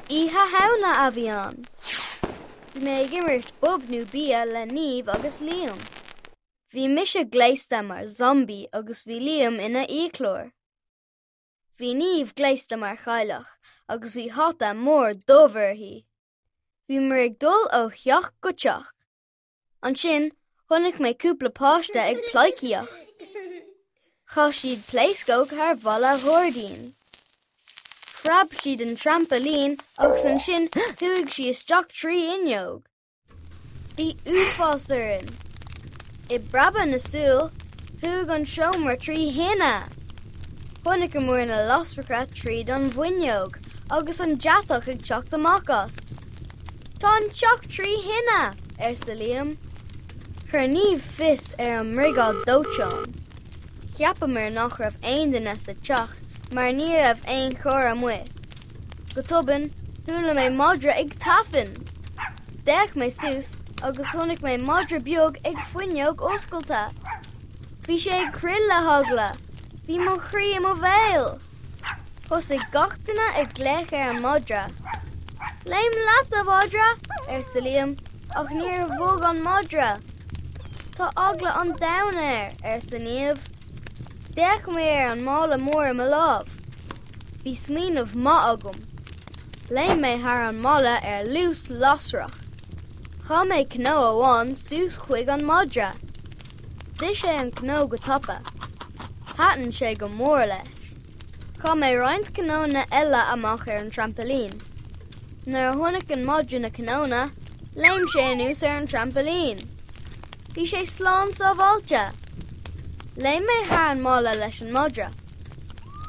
Oíche Shamhna a bhí ann. Bhí mé ag imirt Bob nó Bia le Niamh agus Liam. Bhí mise gléasta mar zombie agus bhí Liam ina fhiaclóir. Bhí Niamh gléasta mar chailleach agus bhí hata mór dubh uirthi. Bhíomar ag dul ó theach go teach. Ansin, chonaic mé cúpla páiste ag pleidhcíocht. Chaith siad pléascóg thar bhalla ghairdín. Phreab sí den trampailín agus ansin chuaigh sí isteach trí fhuinneog. Bhí uafás orainn. I bpreabadh na súl, chuaigh an seomra trí thine. Chonaiceamar na lasracha tríd an bhfuinneog agus an deatach ag teacht amach as. Tá an teach trí thine! arsa Liam. Chuir Niamh fios ar an mbriogáid dóiteáin. Cheapamar nach raibh aon duine sa teach mar ní raibh aon charr amuigh. Go tobann, chuala mé madra ag tafann! D'fhéach mé suas agus chonaic mé madra beag ag fuinneog oscailte. Bhí sé ag crith le heagla. Bhí mo chroí i mo bhéal! Thosaigh gach duine ag glaoch ar an madra. Léim leat, a mhadra! arsa Liam, ach níor bhog an madra. Tá eagla an domhain air, arsa Niamh. D'fhéach mé ar an mála mór i mo lámh. Bhí smaoineamh maith agam. Léim mé thar an mballa ar luas lasrach. Chaith mé cnó amháin suas chuig an madra. D'ith sé an cnó go tapa. Thaitin sé go mór leis. Chaith mé roinnt cnónna eile amach ar an trampailín. Nuair a chonaic an madra na cnónna, léim sé anuas ar an trampailín. Bhí sé slán sábháilte! Léim mé thar an mballa leis an madra.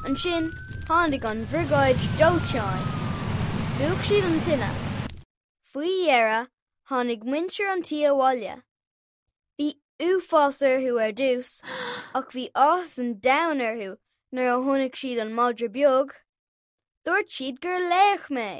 Ansin tháinig an bhriogáid dóiteáin. Mhúch siad an tine. Faoi dheireadh, tháinig muintir an tí abhaile. Bhí uafás orthu ar dtús ach bhí áthas an domhain orthu nuair a chonaic siad an madra beag. Dúirt siad gur laoch mé!